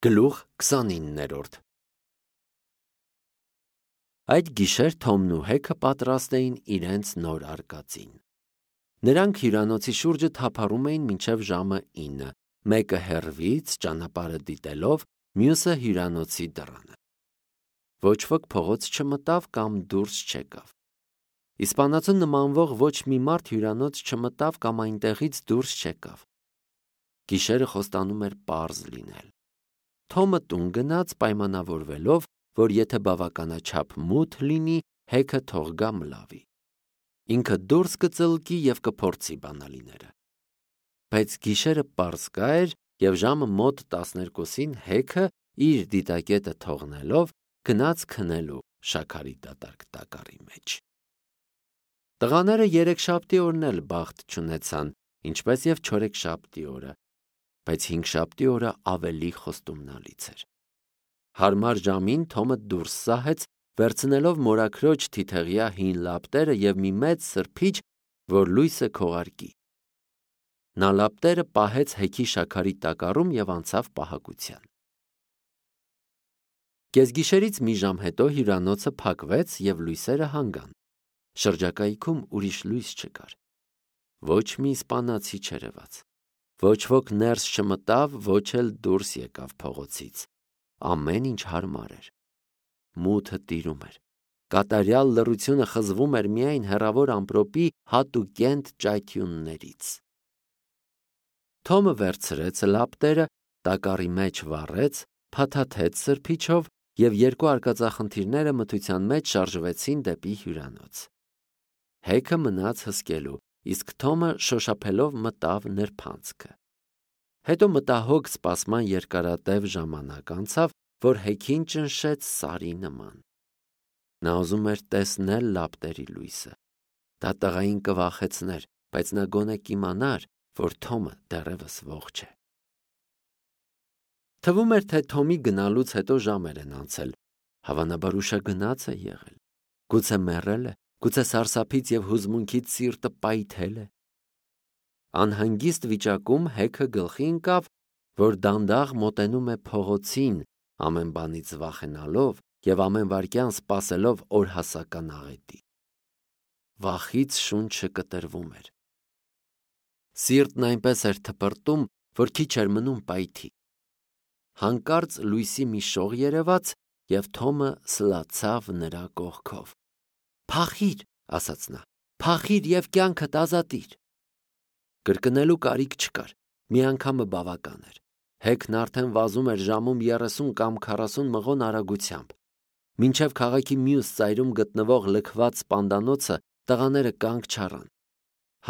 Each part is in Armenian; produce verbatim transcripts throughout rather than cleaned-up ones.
Գլուխ քսանիններորդ Այդ գիշեր Թոմն ու Հեքը պատրաստ էին իրենց նոր արկածին։ Նրանք հյուրանոցի շուրջը թափառում էին մինչև ժամը ինը, մեկը հեռվից ճանապարհը դիտելով, մյուսը հյուրանոցի դռանը։ Ոչ ոք փողոց չմտավ կամ դուրս չեկավ։ Իսպանացուն նմանվող ոչ մի մարդ հյուրանոց չմտավ կամ այնտեղից դուրս չեկավ։ Գիշերը խոստանում էր պարզ լինել։ Թոմը տուն գնաց պայմանավորվելով, որ եթե բավականաչափ մութ լինի, Հեքը թող գա մլավի։ Ինքը դուրս կծլկի և կփորձի բանալիները։ Բայց գիշերը պարզկա էր և ժամը մոտ տասներկուսին Հեքը իր դիտակետը թողնելով գնաց քնելու շաքարի դատարկ տակառի մեջ։ Տղաները երեքշաբթի օրն էլ բախտ չունեցան, ինչպես և չորեքշաբթի օրը, բայց հինգշաբթի օրը ավելի խոստումնալից էր։ Հարմար ժամին Թոմը դուրս սահեց, վերցնելով մորաքրոջ թիթեղյա հին լապտերը և մի մեծ սրբիչ, որ լույսը քողարկի։ Նա լապտերը պահեց Հեքի շաքարի տակառում և անցավ պահակության։ Կեսգիշերից մի ժամ հետո հյուրանոցը փակվեց և լույսերը հանգան։ Շրջակայքում ուրիշ լույս չկար։ Ոչ մի իսպանացի չերևաց։ Ոչ ոք ներս չմտավ, ոչ էլ դուրս եկավ փողոցից։ Ամեն ինչ հարմար էր։ Մութը տիրում էր։ Կատարյալ լռությունը խզվում էր միայն հեռավոր ամպրոպի հատուկենտ ճայթյուններից։ Թոմը վերցրեց լապտերը, տակառի մեջ վառեց, փաթաթեց սրբիչով և երկու արկածախնդիրները մթության մեջ շարժվեցին դեպի հյուրանոց։ Հեքը մնաց հսկելու, իսկ Թոմը շոշափելով մտավ նրբանցքը։ Հետո մտահոգ սպասման երկարատև ժամանակ անցավ, որ Հեքին ճնշեց սարի նման։ Նա ուզում էր տեսնել լապտերի լույսը։ Դա տղային կվախեցներ, բայց նա գոնե կիմանար, որ Թոմը դեռևս ողջ է։ Թվում էր, թե Թոմի գնալուց հետո ժամեր են անցել։ Հավանաբար ուշագնաց է եղել։ Գուցե մեռել է, գուցե սարսափից և հուզմունքից սիրտը պայթել է։ Անհանգիստ վիճակում Հեքը գլխի ընկավ, որ դանդաղ մոտենում է փողոցին, ամեն բանից վախենալով և ամեն վայրկյան սպասելով օրհասական աղետի։ Վախից շունչը կտրվում էր։ Սիրտն այնպես էր թպրտում, որ քիչ էր մնում պայթի։ Հանկարծ լույսի մի շող երևաց, և Թոմը սլացավ նրա կողքով։ «Փախի՛ր», ասաց նա, «փախի՛ր և կյանքդ ազատիր»։ Կրկնելու կարիք չկար, մի անգամը բավական էր։ Հեքն արդեն վազում էր ժամում երեսուն կամ քառասուն մղոն արագությամբ։ Մինչև քաղաքի մյուս ծայրում գտնվող լքված սպանդանոցը տղաները կանգ չառան։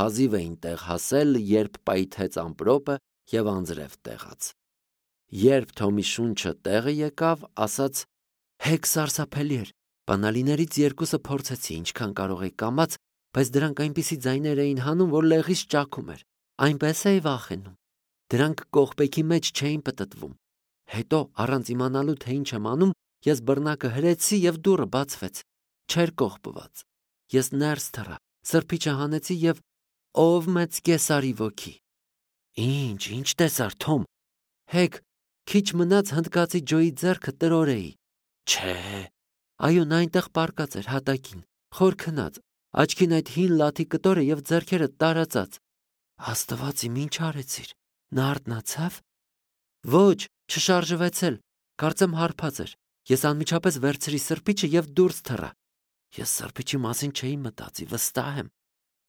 Հազիվ էին տեղ հասել, երբ պայթեց ամպրոպը և անձրև տեղաց։ Երբ Թոմի շունչը տեղը եկավ, ասաց. «Հեք, սարսափելի էր։ Բանալիներից երկուսը փորձեցի, ինչքան կարող էի կամաց, բայց դրանք այնպիսի ձայներ էին հանում, որ լեղիս ճաքում էր։ Այնպես էի վախենում։ Դրանք կողպեքի մեջ չէին պտտվում։ Հետո, առանց իմանալու, թե ինչ եմ անում, ես բռնակը հրեցի և դուռը բացվեց։ Չէր կողպված։ Ես ներս թռա, սրբիչը հանեցի և… ով մեծ կեսարի ոգի»։ «Ինչ, ինչ տեսար, Թոմ»։ «Հեք, քիչ մնաց հնդկացի Ջոյի ձեռքը տրորեի»։ «Չէ»։ «Այո, նա այնտեղ պառկած էր հատակին, խոր քնած, աչքին այդ հին լաթի կտորը և ձեռքերը տարածած»։ «Աստված իմ, ինչ արեցիր, նա արթնացա՞վ»։ «Ոչ, չշարժվեց էլ, կարծեմ հարբած էր։ Ես անմիջապես վերցրի սրբիչը և դուրս թռա։ Ես սրբիչի մասին չէի մտածի, վստահ եմ։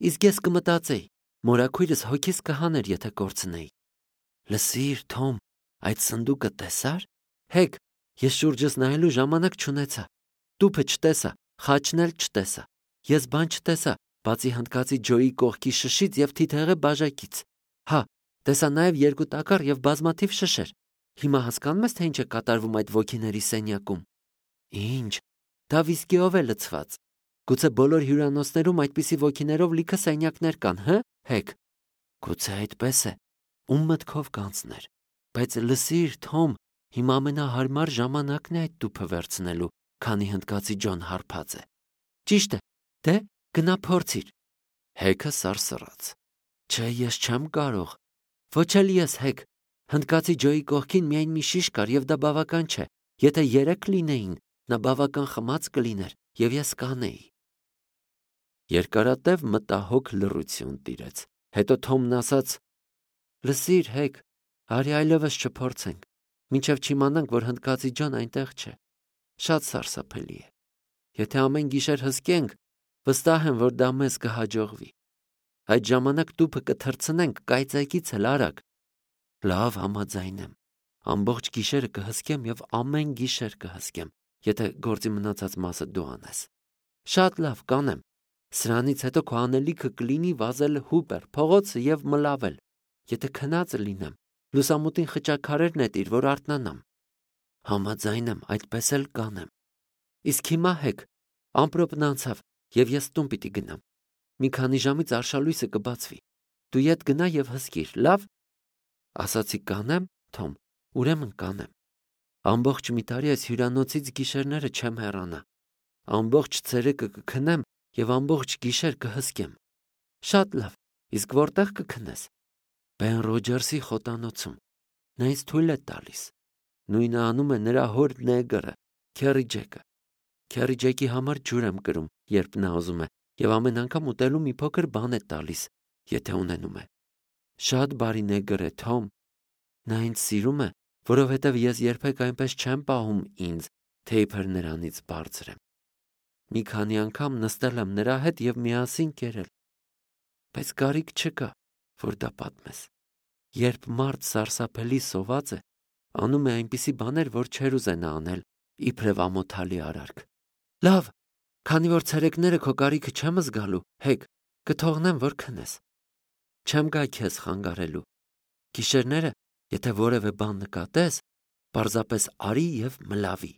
Իսկ ես կմտածեի, մորաքույրս հոգիս կհաներ, եթե կորցնեի»։ «Լսիր, Թոմ, այդ սնդուկը տեսա՞ր»։ «Հեք, ես շուրջս նայելու ժամանակ չունեցա։ Տուփը չտեսա, խաչն էլ չտեսա։ Ես բան չտեսա, բացի հնդկացի Ջոյի կողքի շշից և թիթեղի բաժակից։ Հա, տեսա նաև երկու տակառ և բազմաթիվ շշեր։ Հիմա հասկանում ես, թե ինչ է կատարվում այդ ոգիների սենյակում»։ «Ինչ, դա վիսկիով է լցված։ Գուցե բոլոր հյուրանոցներում այդպիսի ոգիներով լիքը սենյակներ կան, հը՞, Հեք»։ «Գուցե այդպես է։ Ում մտքով կանցներ։ Բայց լսիր, Թոմ, հիմա ամենահարմար ժամանակն է այդ տուփը վերցնելու, քանի հնդկացի Ջոն հարբած է»։ «Ճիշտ է, դե, գնա փորձիր»։ Հեքը սարսռաց։ «Չէ, ես չեմ կարող»։ «Ոչ էլ ես, Հեք։ Հնդկացի Ջոյի կողքին միայն մի շիշ կար եւ դա բավական չէ։ Եթե երեք լինեին, նա բավական խմած կլիներ եւ ես կանեի։ Երկարատև մտահոգ լռություն տիրեց։ Հետո Թոմն ասաց. «Լսիր, Հեգ, արի այլևս չփորձենք, մինչև չիմանանք, որ հնդկացի Ջոն այնտեղ չէ։ Շատ սարսափելի է։ Եթե ամեն գիշեր հսկենք, վստահ եմ, որ դա մեզ կհաջողվի։ Այդ ժամանակ տուփը կթռցնենք կայծակից էլ արագ»։ Լավ, համաձայն եմ։ Ամբողջ գիշերը կհսկեմ եւ ամեն գիշեր կհսկեմ, եթե գործի մնացած մասը դու անես։ Շատ լավ, կանեմ։ Սրանից հետո քո անելիքը կլինի վազել Հուպեր փողոցը եւ մլավել։ Եթե քնած լինեմ, լուսամուտին խճաքարեր նետիր, որ արթնանամ։ Համաձայն եմ, այդպես էլ կանեմ։ Իսկ հիմա Հեգ, ամպրոպն անցավ եւ ես տուն պիտի գնամ։ Մի քանի ժամից արշալույսը կբացվի։ Դու ետ գնա եւ հսկիր, լավ։ Ասացի կանեմ, Թոմ, ուրեմն կանեմ։ Ամբողջ մի տարի այս հյուրանոցից գիշերները չեմ հեռանա։ Ամբողջ ցերեկը կքնեմ եւ ամբողջ գիշեր կհսկեմ։ Շատ լավ, իսկ որտեղ կքնես։ Բեն Ռոջերսի խոտանոցում։ Նա ինձ թույլ է տալիս։ Նույնը անում է նրա հոր նեգրը, Քերի Ջեկը։ Քերի Ջեկի համար ջուր եմ կրում, երբ նա ուզում է, եւ ամեն անգամ ուտելու մի փոքր բան է տալիս, եթե ունենում է։ Շատ բարի նեգր է, Թոմ։ Նա ինձ սիրում է, որովհետև ես երբեք այնպես չեմ պահում ինձ, թե իբր նրանից բարձր եմ։ Մի քանի անգամ նստել եմ նրա հետ եւ միասին կերել։ Բայց կարիք չկա, որ դա պատմես։ Երբ մարդ սարսափելի սոված է, անում է այնպիսի բաներ, որ չեր ուզենա անել, իբրև ամոթալի արարք։ Լավ, քանի որ ցերեկները քո կարիքը չեմ զգալու, Հեգ, կթողնեմ, որ քնես։ Չեմ գա քեզ խանգարելու։ Գիշերները, եթե որևէ բան նկատես, պարզապես արի եւ մլավի։